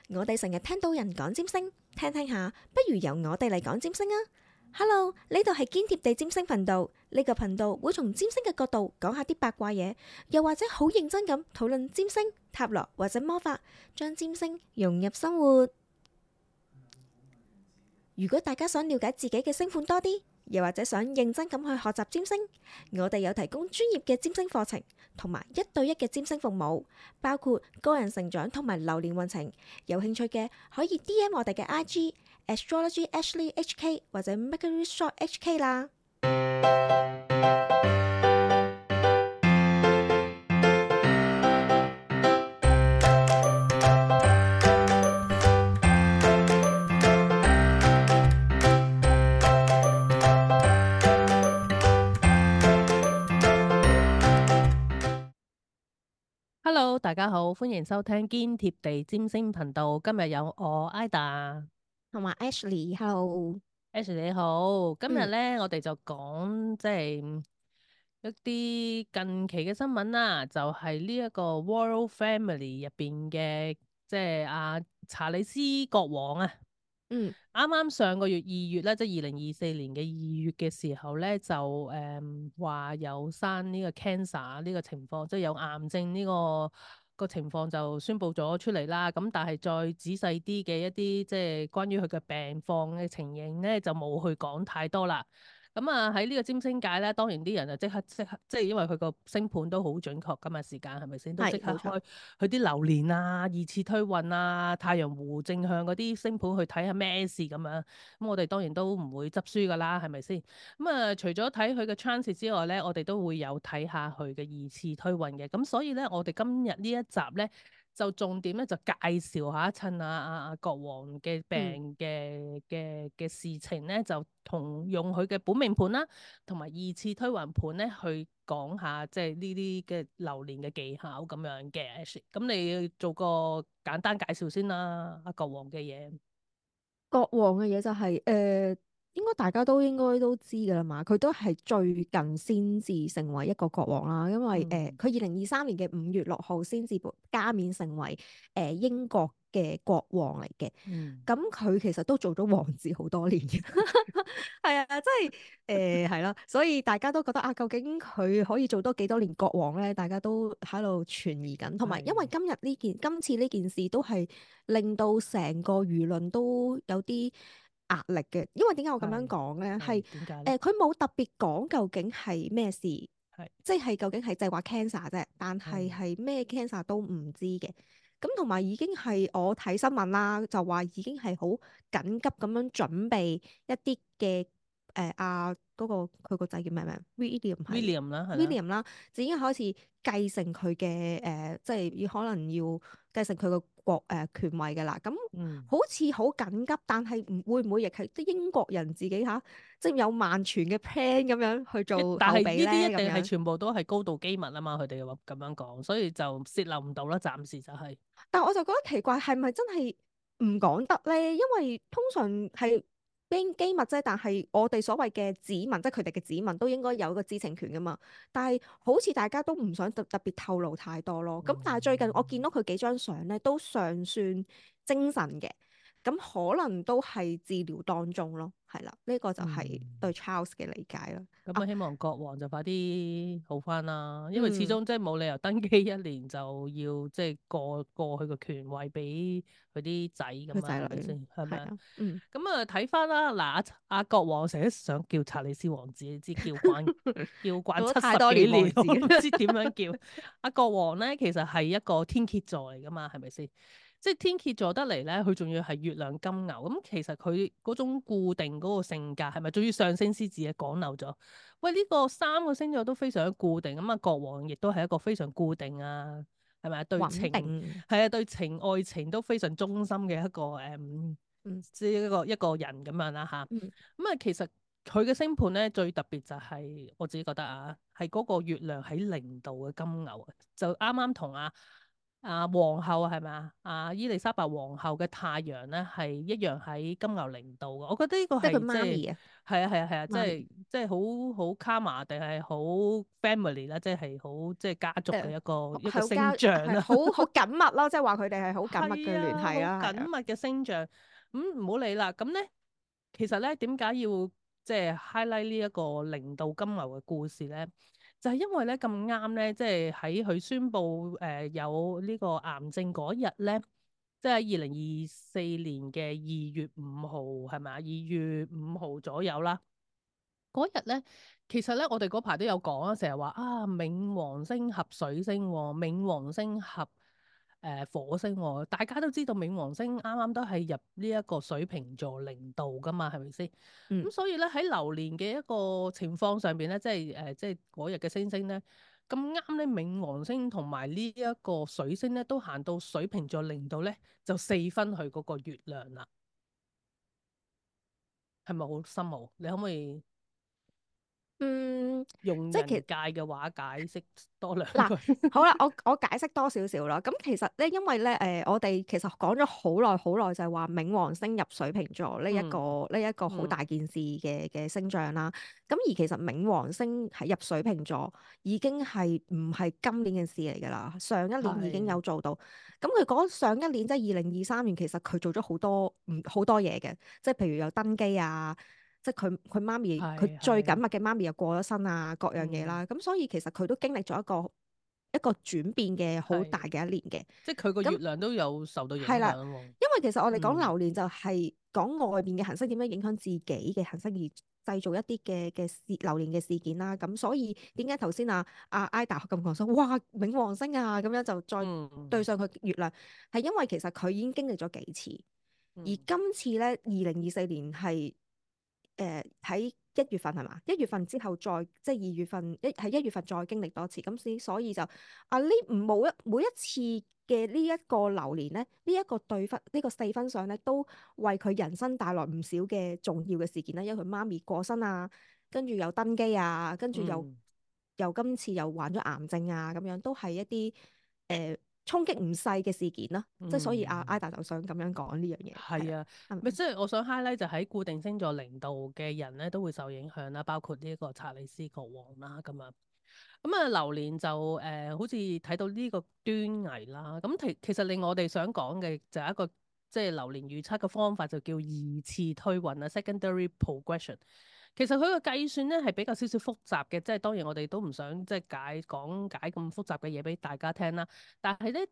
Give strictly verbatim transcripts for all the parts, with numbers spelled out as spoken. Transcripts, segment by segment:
我哋成日聽到人講占星，聽聽下，不如由我哋嚟講占星啊！Hello，呢度係堅貼地占星頻道，呢個頻道會從占星嘅角度講下啲八卦嘢，又或者好認真咁討論占星、塔羅或者魔法，將占星融入生活。如果大家想了解自己嘅星盤多啲，又或者想認真咁去學習占星，我哋有提供專業嘅占星課程，同埋一對一嘅占星服務，包括個人成長同埋流年運程。有興趣嘅可以 D M 我哋嘅 I G Astrology Ashley H K 或者 Mercury Shop H K 啦。Hello，大家好，歡迎收聽堅貼地占星頻道。今日有我 Ida 同埋 Ashley，Hello。Ash 你好。今日嗯咧，我哋就講即係一啲近期嘅新聞啦，就係呢一個 Royal Family 入邊嘅即係阿查理斯國王啊。嗯啱啱上個月二月咧，即係二零二四年嘅二月嘅時候咧，就誒話、嗯、有生呢個 cancer 呢個情況，即係有癌症呢、呢個個情況就宣布咗出嚟啦。咁但係再仔細啲嘅一啲即係關於佢嘅病況嘅情形咧，就冇去講太多啦。咁啊喺呢個占星界咧，當然啲人就即刻即刻，即係因為佢個星盤都好準確㗎嘛，時間係咪先都即刻係冇錯。開佢啲流年啊、二次推運啊、太陽湖正向嗰啲星盤去睇下咩事咁樣。咁我哋當然都唔會執輸㗎啦，係咪先？咁啊，除咗睇佢嘅 transit 之外咧，我哋都會有睇下佢嘅二次推運嘅。咁所以咧，我哋今日呢一集咧，就重點咧就介紹下，趁阿阿阿國王嘅嗯，病嘅嘅嘅事情咧，就同用佢嘅本命盤啦，同埋二次推運盤咧去講下，即係呢啲嘅流年嘅技巧咁樣嘅。咁你做個簡單介紹先啦，阿國王嘅嘢。國王嘅嘢就係、誒、應該大家都應該都知噶啦嘛。佢都係最近先至成為一個國王啦，因為誒嗯佢二零二三年嘅五月六號先至加冕成為誒、呃、英國嘅國王嚟嘅。嗯。咁佢其實都做咗王子好多年嘅，係啊，即係誒係啦，所以大家都覺得啊，究竟佢可以做多幾多年國王咧？大家都喺度存疑緊，同埋因為係。今日呢件今次呢件事都係令到成個輿論都有啲壓力嘅，因為點解我咁樣係講咧？係係點解咧？誒，佢冇特別講究竟係咩事，係即係究竟係就係話 cancer 啫，但係係係咩 cancer 都唔知嘅。咁同埋已經係我睇新聞啦，就話已經係好緊急咁樣準備一啲嘅誒啊嗰個佢個仔叫咩名？William 係 William 啦，係啦。William 啦，就已經開始繼承佢嘅誒，即係要可能要繼承佢個國誒、呃、權位嘅啦。咁嗯。好似好緊急，但係唔會唔會亦係啲英國人自己嚇，即係有萬全嘅 plan 咁樣去一做但係呢後備咧啲一定係咁樣。全部都係高度機密啊嘛，佢哋話咁樣講，所以就泄漏唔到啦，暫時就係。但我就覺得奇怪，係咪真係唔講得咧？因為通常係機機密啫，但係我哋所謂嘅子民，即係佢哋嘅子民，都應該有一個知情權噶嘛。但係好似大家都唔想特特別透露太多咯。咁但係最近我見到佢幾張相咧，都尚算精神嘅。咁可能都係治療當中咯，係啦，呢、個就係嗯。對 Charles 嘅理解啦。啊，咁啊，希望國王就快啲好翻啦，因為始嗯，終即係冇理由登基一年就要即係過過去個權位俾佢啲仔咁啊，佢仔女係咪先？係咪啊？係啊，嗯，咁啊，睇翻啦，嗱，阿阿國王成日想叫查理斯王子，你知叫慣叫慣做咗七太多年十幾年，王子，我唔知點樣叫。阿國王咧，其實係一個天蠍座嚟噶嘛，係咪先？即係天蠍座得嚟咧，佢仲要係月亮金牛，咁其實佢嗰種固定嗰個性格係咪？仲要上升獅子啊，講漏咗。喂，呢、個三個星座都非常固定，咁啊，國王亦都係一個非常固定啊，係咪啊？對穩情定，係啊，對情愛情都非常忠心嘅一個誒，嗯即係一個一個人咁樣啦吓。嗯。咁啊，其實佢嘅星盤咧最特別就係、我自己覺得啊，係嗰個月亮喺零度嘅金牛啊，就啱啱同阿啊皇后係咪啊？啊伊麗莎白皇后嘅太陽咧係一樣喺金牛零度嘅，我覺得呢個即係佢係即係媽咪啊，係啊係啊係啊，即媽咪係即係好好卡瑪定係好 family 啦，即係好即係家族嘅誒一個一個係交星象啦。係好好緊密咯，即係話佢哋係好緊密嘅聯係啊，好繫啦，係啊。緊密嘅星象。咁唔好理啦。咁咧，其實咧點解要即係 highlight 呢一個零度金牛嘅故事咧？就係因為咧咁啱咧，即係喺佢宣布誒、呃、有呢個癌症嗰日咧，即係二零二四年嘅二月五號係咪啊？二月五號左右啦。嗰日咧，其實咧我哋嗰排都有講啊，成日話啊冥王星合水星喎，冥王星合誒、呃、火星喎，大家都知道冥王星啱啱都係入呢一個水瓶座零度噶嘛，係咪先？嗯咁所以咧喺流年嘅一個情況上邊咧，即係誒、呃、即係嗰日嘅星星咧，咁啱咧冥王星同埋呢一個水星咧都行到水瓶座零度咧，就四分去嗰個月亮啦，係咪好深奧？你可唔可以嗯，用即係其人界嘅話解釋多兩嗱，句？好啦，我我解釋多少少啦。咁其實咧，因為咧，誒、呃，我哋其實講咗好耐好耐，就係話冥王星入水瓶座呢一嗯個呢一個好大嗯件事嘅嘅星象啦。咁而其實冥王星係入水瓶座已經係唔係今年嘅事嚟㗎啦，上一年已經係有做到。咁佢講上一年即係二零二三年，其實佢做咗好多唔好多嘢嘅，即係譬如有登基啊。即係佢佢媽咪，佢係係最緊密嘅媽咪又過咗身啊，各樣嘢嗯啦。咁所以其實佢都經歷咗一個一個轉變嘅好大係，嘅一年嘅。即係佢個月咁亮都有受到影係啦，響喎。因為其實我哋講嗯流年就係講外邊嘅行星點樣影響自己嘅行星，而製造一啲嘅嘅事流年嘅事件啦。咁所以點解頭先啊啊 Ida 咁講說，哇冥王星啊咁樣就再對嗯上佢月亮，係因為其實佢已經經歷咗幾次。而嗯今次咧，二零二四年係誒喺一月份係嘛？一月份之後再即係二月份一喺一月份再經歷多次，咁先所以就啊呢每一每一次嘅呢一個流年咧，呢、這、一個對分呢、這個四分相咧，都為佢人生帶來唔少嘅重要嘅事件啦。因為佢媽咪過身啊，跟住又登基啊，跟住又嗯又今次又患咗癌症啊，咁樣都係一啲誒衝擊唔細嘅事件啦。即係所以阿 嗯，Ida 就想咁樣講呢樣嘢，係啦，係啊，係咪？咪即係我想 highlight 就喺固定星座零度嘅人咧都會受影響啦，包括呢一個查理斯國王啦咁樣。咁啊，流年就誒、呃，好似睇到呢個端倪啦。咁其其實令我哋想講嘅就係一個即係流年預測嘅方法，就叫二次推運啊 （secondary progression）。其實佢個計算咧係比較少少複雜嘅，即係當然我哋都唔想即係解講解咁複雜嘅嘢俾大家聽啦。但係咧，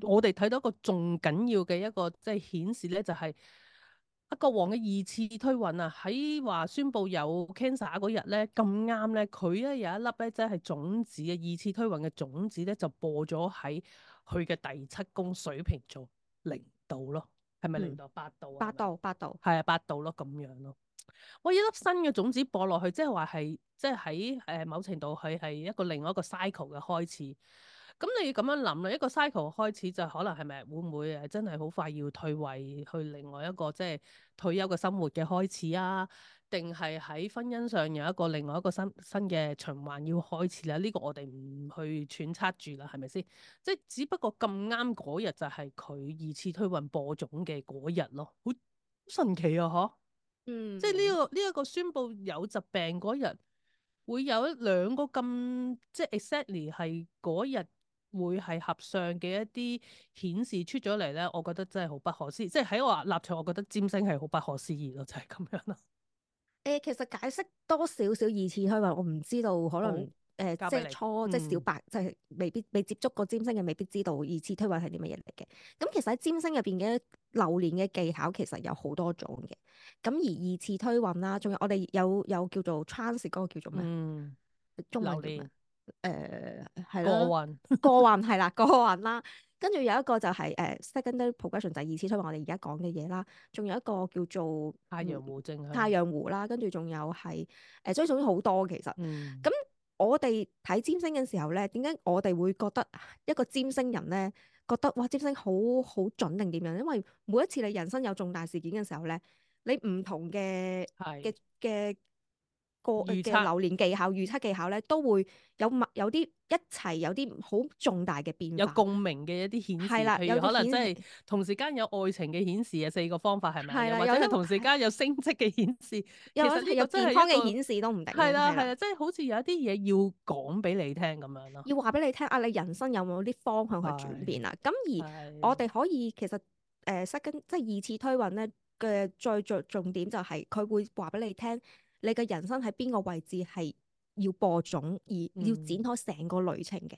我哋睇到一個仲緊要嘅一個即係顯示咧，就係、阿國王嘅二次推運啊，喺話宣布有 cancer 嗰日咧，咁啱咧，佢咧有一粒咧，即係種子嘅二次推運嘅種子咧，就播咗喺佢嘅第七宮水瓶座零度咯，係咪零嗯，度？八度啊？八係咪啊？度八度。係啊，八度咯，咁樣咯。我一粒新嘅種子播落去，即係話係，即係喺誒某程度佢係一個另外一個 cycle 嘅開始。咁你要咁樣諗啦，一個 cycle 開始就可能係咪會唔會誒真係好快要退位去另外一個即係退休嘅生活嘅開始啊？定係喺婚姻上有一個另外一個新新嘅循環要開始啦？呢、這個我哋唔去揣測住啦，係咪先？即係只不過咁啱嗰日就係佢二次推運播種嘅嗰日咯，好神奇啊！嗬〜即係呢、嗯。個呢一、個宣布有疾病嗰日，會有一兩個咁即係 exactly 係嗰日會係合相嘅一啲顯示出咗嚟咧，我覺得真係好不可思議。即係喺我立場，我覺得占星係好不可思議咯，就係、是、咁樣咯。誒，其實解釋多少少二次推運，我唔知道，可能好，誒、呃即交俾你。係初即係小嗯白，即係未必未接觸過占星嘅，未必知道二次推運係啲乜嘢嚟嘅。咁其實喺占星入邊嘅流年嘅技巧其實有好多種嘅。咁而二次推運啦，仲有我哋有有叫做 transit 嗰個叫做咩？嗯，中文叫咩？榴蓮誒係啦，過運，過運係啦，過運啦。跟住有一個就係、是、誒、呃 secondary progression 就係二次推運，我哋而家講嘅嘢啦。仲有一個叫做太陽嗯湖正太向。陽湖啦，跟住仲有係誒，所以總之好多其實。嗯，咁我哋睇占星嘅時候咧，點解我哋會覺得一個占星人咧覺得哇占星好好準定點樣？因為每一次你人生有重大事件嘅時候咧，你唔同嘅嘅係嘅個預測嘅流年技巧、預測技巧咧，都會有默有啲一齊有啲好重大嘅變化。有共鳴嘅一啲顯示，係啦，有譬如可能即係啲顯示同時間有愛情嘅顯示啊，四個方法係咪啊？係啦，又或者係有啲同時間有升職嘅顯示，又其實呢個係有健真係一個康嘅顯示都唔定嘅，係啦。係啦係啦，即係好似有一啲嘢要講俾你聽咁樣咯。要話俾你聽啊，你人生有冇啲方向去轉係變啊？咁而我係哋可以其實誒 second 即係二次推運咧嘅最最重點就係佢會話俾你聽，你嘅人生喺邊個位置係要播種而要展嗯開成個旅程嘅。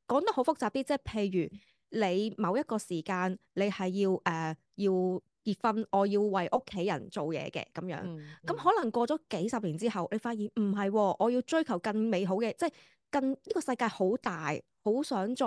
講得好複雜啲，即係譬如你某一個時間你係要誒、呃、要結婚，我要為屋企人做嘢嘅咁樣。咁、嗯嗯可能過咗幾十年之後，你發現唔係喎，我要追求更美好嘅，即係更呢、個世界好大，好想再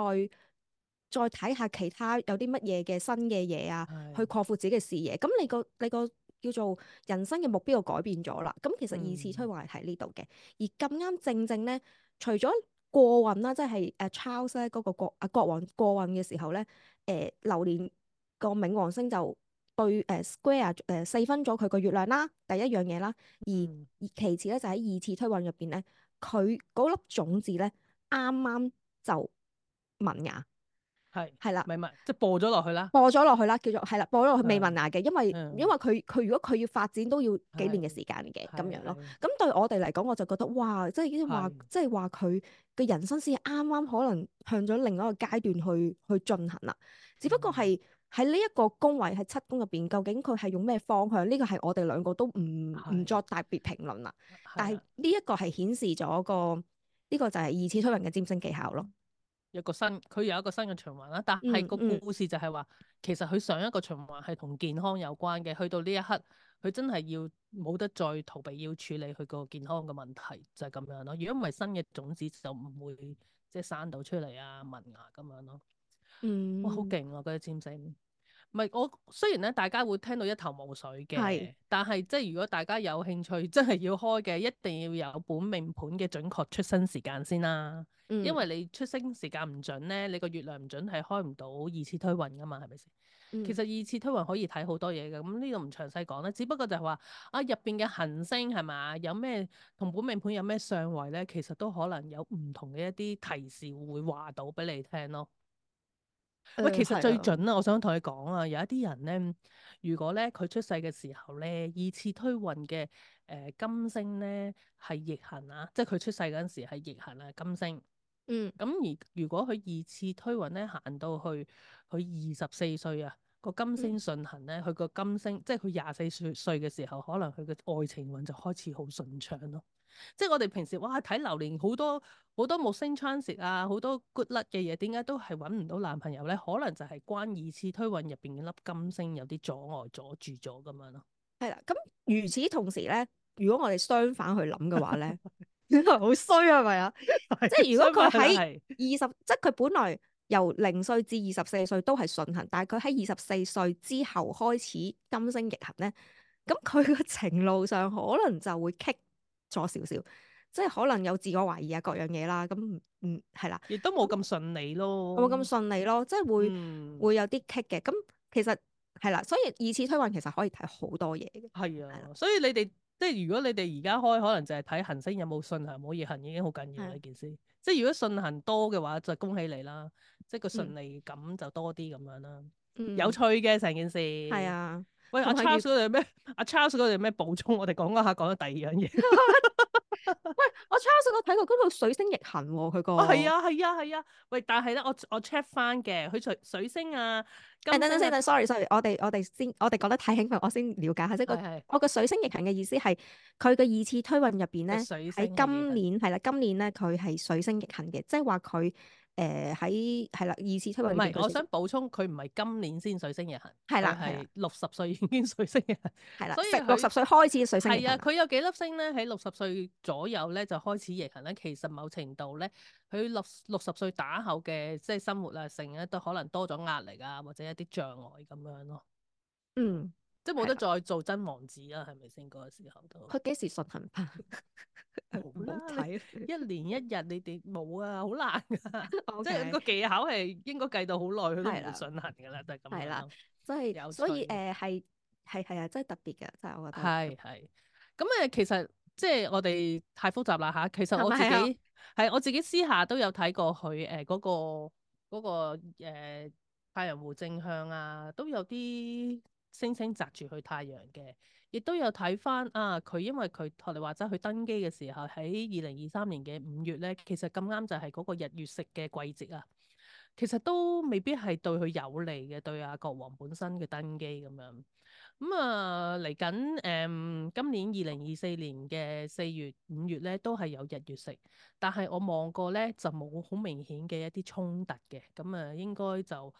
再睇下其他有啲乜嘢嘅新嘅嘢啊，去係擴闊自己嘅視野。咁你個你個叫做人生嘅目標就改變咗啦。咁其實二次推嗯運係睇呢度嘅，而咁啱正正咧，除咗過運啦，即係誒 Charles 咧嗰個國啊國王過運嘅時候咧，誒、流年個冥王星就對誒、呃 square 誒、呃、四分咗佢個月亮啦，第一樣嘢啦，而嗯而其次咧就喺二次推運入邊咧，佢嗰粒種子咧啱啱就萌芽，係係啦。咪咪即係播咗落去啦。播咗落去啦，叫做係啦，播咗落去未萌嗯芽嘅，因為因嗯為佢佢如果佢要發展都要幾年嘅係時間嘅咁樣咯。係係咁對我哋嚟講，我就覺得哇，即係已經話，係即係話佢嘅人生先啱啱可能向咗另一個階段去去進行啦。只不過係喺呢一個宮位喺七宮入邊，究竟佢係用咩方向？呢個係我哋兩個都唔唔係作特別評論啦。但係係啊。呢一個係顯示咗個呢個就係二次推運嘅占星技巧咯。有個新，佢有一個新嘅循環啦。但係個嗯嗯故事就係話，其實佢上一個循環係同健康有關嘅。去到呢一刻，佢真係要冇得再逃避，要處理佢個健康嘅問題，就係、是、咁樣咯。如果唔係新嘅種子，就唔會即係生到出嚟啊，萌芽咁樣咯。哇，好嗯，勁啊！嗰啲占星。唔係我雖然咧，大家會聽到一頭霧水係嘅，但係即係如果大家有興趣，真係要開嘅，一定要有本命盤嘅準確出生時間先啦。因嗯為你出生時間唔準咧，你個月亮唔準係開唔到二次推運噶嘛，係咪先？其嗯實二次推運可以睇好多嘢嘅，咁呢度唔詳細講啦。只不過就係話啊，入邊嘅行星係嘛，有咩同本命盤有咩相位咧，其實都可能有唔同嘅一啲提示會話到俾你聽咯。喂，誒其實最係啊。準啊！我想同你講啊，有一啲人咧，如果咧佢出世嘅時候咧，二次推運嘅誒金星咧係逆行啊，即係佢出世嗰陣時係逆行啊金星。嗯咁而如果佢二次推運咧行到去佢二十四歲啊，個金嗯星順行咧，佢個金星即係佢廿四歲歲嘅時候，可能佢嘅愛情運就開始好順暢咯。即係我哋平時哇睇流年好多好多木星 transit 啊，好多 good luck 嘅嘢，點解都係揾唔到男朋友咧？可能就係關二次推運入邊嘅粒金星有啲阻礙阻住咗咁樣咯。係啦，咁與此同時咧，如果我哋相反去諗嘅話咧，好衰啊，係咪啊？即係如果佢喺係二十，即係佢本來由零歲至二十四歲都係順行，但係佢喺二十四歲之後開始金星逆行咧，咁佢個情路上可能就會棘咗少少，即係可能有自我懷疑啊各樣嘢啦。咁嗯係啦，亦都冇咁順利咯。冇咁順利咯，即係會嗯。會有啲棘嘅。咁其實係啦，所以二次推運其實可以睇好多嘢嘅。係係啦，啊，所以你哋即係如果你哋而家開，可能就係睇行星有冇順行冇逆行已經好緊要啦係啊，呢件事。即係如果順行多嘅話，就恭喜你啦，即係個嗯順利感就多啲咁樣啦。有嗯，趣嘅成件事。係啊，喂，阿 同埋如 Charles 嗰度有咩？阿 Charles 嗰度有咩補充？我哋講嗰下講咗第二樣嘢。喂，我 Charles 我睇過嗰度水星逆行喎，佢個哦，係啊，係啊，係啊。喂，但係咧，我我 check 翻嘅，佢水水星啊、金誒等等先，星啊，等，sorry sorry，我哋我哋先，我哋講得太興奮，我先了解下，即係個係係我個水星逆行嘅意思係佢嘅二次推運入邊個咧，喺水星係逆今行。年係啦，今年咧佢係水星逆行嘅，即係話佢誒喺係啦二次推運唔係，我入邊佢水星想補充，佢唔係今年先水星逆行，佢係啦係啦係六十歲已經水星逆行，係啦，所以食六十佢歲開始水星逆係啊，行啦。佢有幾粒星咧喺六十歲左右咧就開始逆行咧。其實某程度咧，佢六六十歲打後嘅即係生活啊，成日都可能多咗壓力啊，或者一啲障礙咁樣咯，嗯，即係冇得係啦，再做真王子啦，係咪先嗰個時候都？佢幾時順行翻？唔好冇啦，你睇。一年一日你哋冇啊，好難噶，O 即係 K，個技巧係應該計到好耐，佢都唔會係啦順行噶啦，就係咁係啦，樣咯。所以有趣所以嘅。誒係係係啊，真係特別嘅，真係我覺得。係係，咁誒其實即係我哋太複雜啦嚇。其實我自係咪啊？己係我自己私下都有睇過佢誒嗰個嗰、個、呃、太陽湖正向啊，都有啲星星擲住去太陽嘅。亦都有睇翻啊，佢因為佢學你話齋，佢登基嘅時候喺二零二三年嘅五月咧，其實咁啱就係嗰個日月食嘅季節啊。其實都未必係對佢有利嘅，對阿國王本身嘅登基咁樣。咁啊嚟緊誒，今年二零二四年嘅四月、五月咧，都係有日月食，但係我望過咧就冇好明顯嘅一啲衝突嘅。咁啊，應該就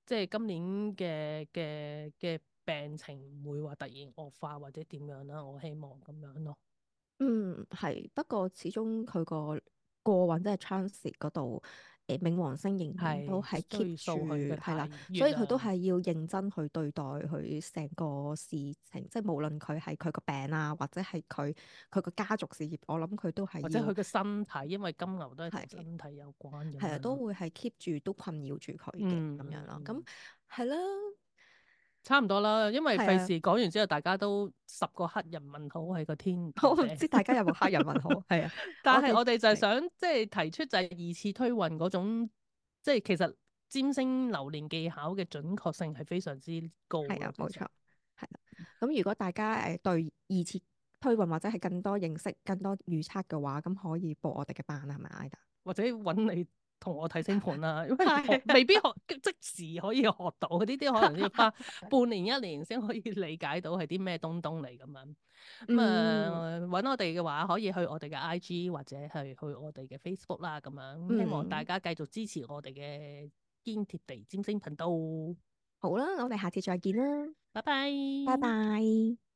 即係今年嘅嘅嘅病情唔會話突然惡化或者點樣啦。我希望咁樣咯。嗯，係。不過始終佢個過運即係 transit 嗰度，誒冥王星仍然都係係 keep 追住溯佢嘅係啦，太月所以佢都啊，係要認真去對待佢成個事情，即係無論佢係佢個病啊，或者係佢佢個家族事業，我諗佢都係要或者佢嘅身體，因為金牛都係同係身體有關咁係啊，都樣咯。會係 keep 住都困擾住佢嘅嗯咁樣咯。咁嗯嗯，係啦，差唔多啦，因為係啊，費事講完之後，大家都十個黑人問號喺個天我頭頂。唔知大家有冇黑人問號？係啊，我哋但係我哋就係係想即係提出就係二次推運嗰種，即係其實占星流年技巧嘅準確性係非常之高係啊，咯。其實冇錯，係啦。咁如果大家誒對二次推運或者係更多認識、更多預測嘅話，咁可以報我哋嘅班係咪，Ida？或者揾你同我睇星盤啦，因為學係啊，未必學即時可以學到，呢啲可能要花半年一年先可以理解到係啲咩東東嚟咁樣。咁嗯啊揾我哋嘅話，可以去我哋嘅 I G 或者係去我哋嘅 Facebook 啦，咁樣希望大嗯，家繼續支持我哋嘅堅貼地占星頻道。好啦，我哋下次再見啦，拜拜。拜拜。